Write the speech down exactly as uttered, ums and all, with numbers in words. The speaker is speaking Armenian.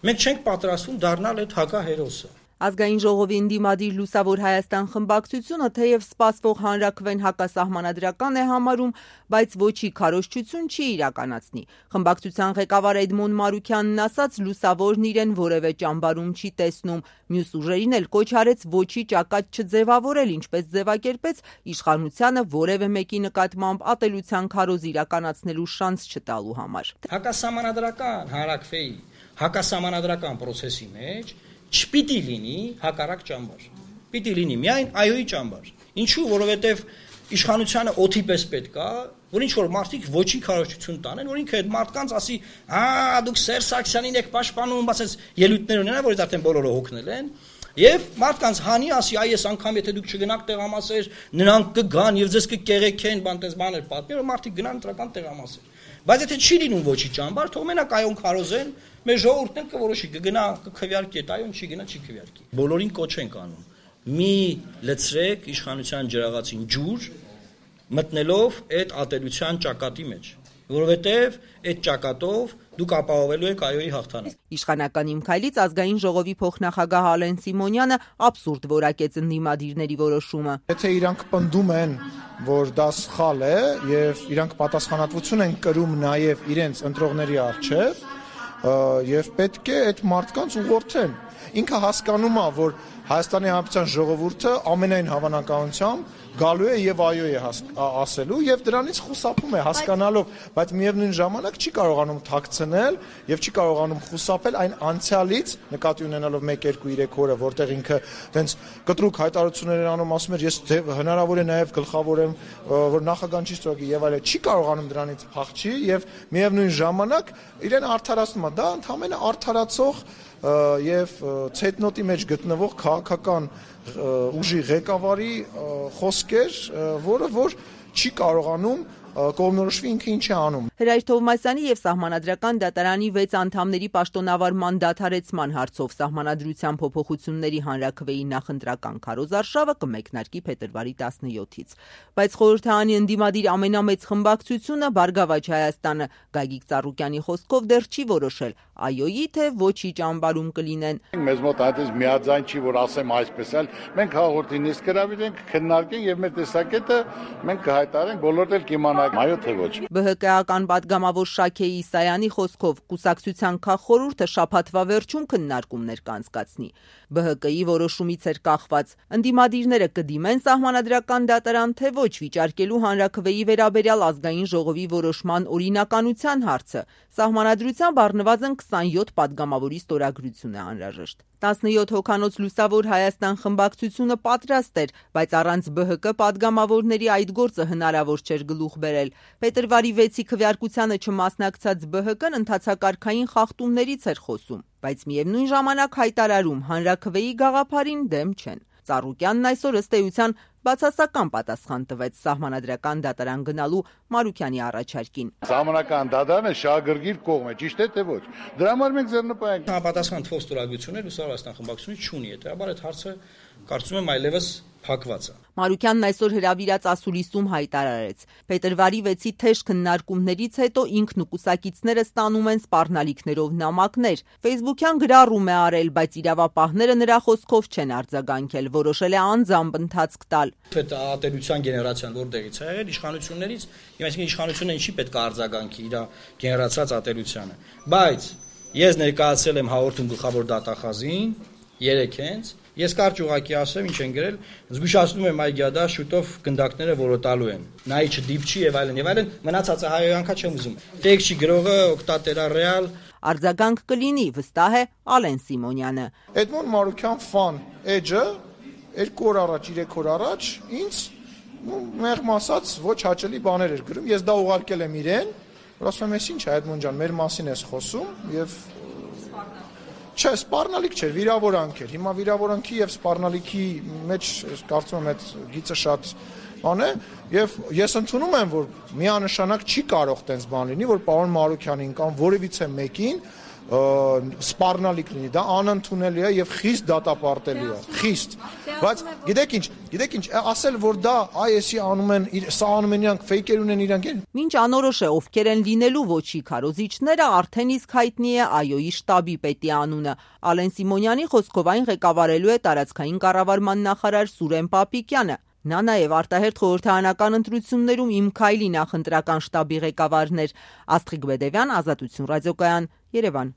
Մենք չենք պատրաստվում դառնալ այդ հակահերոսը։ Ազգային ժողովի ընդդիմադիր Լուսավոր Հայաստան խմբակցությունը թեև սպասվող հանրաքվեն հակասահմանադրական է համարում, բայց ոչի քարոզչություն չի իրականացնի։ Խմբակցության ղեկավար Էդմոն Մարուքյանն ասաց, Լուսավորն իրեն որևէ ճամբարում չի տեսնում, մյուս ուժերին էլ կոչ արեց ոչի ճակատ չձևավորել, ինչպես ձևակերպեց իշխանությանը որևէ մեկի նկատմամբ ատելության քարոզ իրականացնելու շանս չտալու համար։ Հակասահմանադրական հանրաքվեի հակասահմանադրական process-ի մեջ չպիտի լինի հակառակ ճամբար։ Պիտի լինի միայն այոյի ճամբար։ Ինչու՞, որովհետև իշխանությանը օթի պես պետք է, որ ինչ որ մարդիկ ոչի քարոզչություն տանեն, որ ինքը այդ մարդկանց ասի, «Ահա, դուք Սերժ Սարգսյանին եք պաշտպանում», ասես ելույթներ ունենա, որից արդեն բոլորը հոգնել են, եւ մարդկանց հանի ասի, «Այ այս անգամ եթե դուք չգնաք տեղամասեր, նրանք կգան եւ ձեզ կկեղեքեն», բան տես բաներ պատմի, որ մարդիկ գնան ընտրական տեղամասեր։ Բայց եթե չի լինում ոչի ճամբար, թող մենակ այոն քարոզեն, մեր ժողովուրդն էլ կորոշի, կգնա, կքվյարկի, այդ այոն չի գնա, չի քվյարկի։ Բոլորին կոչ ենք անում։ Մի լցրեք իշխանության ջրաղացին ջուր, մտնելով այդ ատելության ճակատի մեջ, որովհետև այդ ճակատով դուք ապահովելու եք այոյի հաղթանակ։ Իշխանական իմ քայլից ազգային ժողովի փոխնախագահ Ալեն Սիմոնյանը абսուրդ որակեց ընդդիմադիրների որոշումը։ Եթե իրանք պնդում են, որ դա սխալ է եւ իրանք պատասխանատվություն են կրում նաեւ իրենց ընտրողների առջեւ, եւ պետք է այդ մարդկանց ուղղորդեն։ Ինքը հասկանում է, որ Հայաստանի Հանրապետության ժողովուրդը ամենայն հավանականությամբ գալու է եւ այո է ասելու եւ դրանից խուսափում է հասկանալով, բայց միևնույն ժամանակ չի կարողանում թաքցնել եւ չի կարողանում խուսափել այն անցյալից, նկատի ունենալով մեկ երկու երեք օրը, որտեղ ինքը տենց կտրուկ հայտարարություններ անում, ասում էր, ես հնարավոր է նաեւ գլխավորեմ, որ նախագահան չի ստորագրի եւ այլն, չի կարողանում դրանից փախչի եւ միևնույն ժամանակ իրեն արդարացնում է, դա ընդհանրապես արդարացող եւ ցետնոտի մեջ գտնվող քաղաքական ուժի ղեկավարի խոսքեր, որը որ չի կարողանում կողմնորոշվի ինքը ինչ է անում։ Հրայր Թովմասյանի եւ Սահմանադրական դատարանի վեց անդամների պաշտոնավարման դադարեցման հարցով Սահմանադրության փոփոխությունների հանրաքվեի նախընտրական քարոզարշավը կմեկնարկի փետրվարի տասնյոթից։ Բայց խորհրդարանի ընդդիմադիր ամենամեծ խմբակցությունը Բարգավաճ Հայաստանը Գագիկ Ծառուկյանի խոսքով դեռ չի որոշել այոյի թե ոչի ճամբարում կլինեն։ Մեզ մոտ այդպես միաձայն չի, որ ասեմ այսպես էլ, մենք հաղորդի նիստ գրավենք, քննարկենք եւ մեր տեսակետը մենք կհայտարարենք, բոլորդ էլ կիմանան այո թե ոչ։ ԲՀԿ-ական պատգամավոր Շաքե Իսայանի խոսքով կուսակցության քաղխորհուրդը շաբաթվա վերջում քննարկումներ կանցկացնի։ ԲՀԿ-ի որոշումից էր կախված ընդդիմադիրները կդիմեն Սահմանադրական դատարան թե ոչ վիճարկելու հանրաքվեի վերաբերյալ ազգային ժողովի որոշման օրինականության հարցը։ Սահմանադրությամբ առնվազն քսանյոթ պատգամավորի ստորագրություն է անհրաժեշտ։ տասնյոթ հոգանոց Լուսավոր Հայաստան խմբակցությունը պատրաստ էր, բայց առանց ԲՀԿ պատգամավորների այդ գործը հնարավոր չէր գլուխ բերել։ Փետրվարի վեցի քվեարկությանը չմասնակցած ԲՀԿ-ն ընթացակարգային խախտումներից էր խոսում, բայց միևնույն ժամանակ հայտարարում հանրաքվեի գաղափարին դեմ չեն։ Ծառուկյանն այսօր ըստ էության բացասական պատասխան տվեց Սահմանադրական դատարան գնալու Մարուքյանի առաջարկին։ Սահմանադրական դատարանը շահագրգիռ կողմ է, ճիշտ է թե ոչ։ Դրա համար մենք ձեռնպայենք։ Համապատասխան թվով ստորագրություններ Լուսավոր Հայաստան խմբակցությունը չունի, հետեւաբար այդ հարցը կարծում եմ այլևս փակված է։ Մարուքյանն այսօր հրավիրած ասուլիսում հայտարարեց. Փետրվարի վեցի թեժ քննարկումներից հետո ինքն ու կուսակիցները ստանում են սպառնալիքներով նամակներ։ Ֆեյսբուքյան գրառում է արել, բայց իրավապահները նրա խոսքով չեն արձագանքել, որոշել է անձամբ ընթացք տալ։ Այդ ատելության գեներացիան որտեղից է եղել իշխանություններից, եւ այսինքն իշխանությունը ինչի պետք է արձագանքի իր գեներացած ատելությանը։ Բայց ես ներկայացել եմ հաղորդում գլխավոր դատախազին երեքենց Ես կարճ ուղակի ասեմ, ինչ են գրել, զգուշացնում եմ այգյադա շուտով գնդակները որոտալու են։ Նայի չդիպչի եւ այլն եւ այլն, մնացածը հայոյանքա չեմ ուզում։ Տեքստի գրողը օկտատերա ռեալ արձագանք կլինի, վստահ է Ալեն Սիմոնյանը։ Էդմոն Մարուքյան ֆան էջը երկու օր առաջ, երեք օր առաջ ինձ մեղմ ասած ոչ հաճելի բաներ էր գրում։ Ես դա ուղարկել եմ իրեն, որ ասում եմ, ինչ է Էդմոն ջան, մեր մասին ես խոսում եւ Չէ, սպառնալիք չէր, վիրավորանք էր։ Հիմա վիրավորանքի եւ սպառնալիքի մեջ կարծում եմ այդ գիծը շատ բան է եւ ես ընդունում եմ, որ միանշանակ չի կարող տենց բան լինի, որ պարոն Մարուքյանին կամ որևիցե մեկին սպառնալիք լինի, դա անընդունելի է եւ խիստ դատապարտելի է, խիստ։ Բայց գիտեք ինչ, գիտեք ինչ, ասել որ դա այ էսի անում են, սա անում են իրանք, ֆեյքեր ունեն իրանք։ Մինչ անորոշ է ովքեր են լինելու ոչի քարոզիչները, արդեն իսկ հայտնի է ԱՅՈ-ի շտաբի պետի անունը։ Ալեն Սիմոնյանի խոսքով այն ղեկավարելու է տարածքային կառավարման նախարար Սուրեն Պապիկյանը։ Նա նաև արտահերթ խորհրդարանական ընտրություններում Իմ քայլի նախընտրական շտաբի ղեկավարն էր։ Աստղիկ Բեդևյան, Ազատություն ռադիոկայան, Երևան։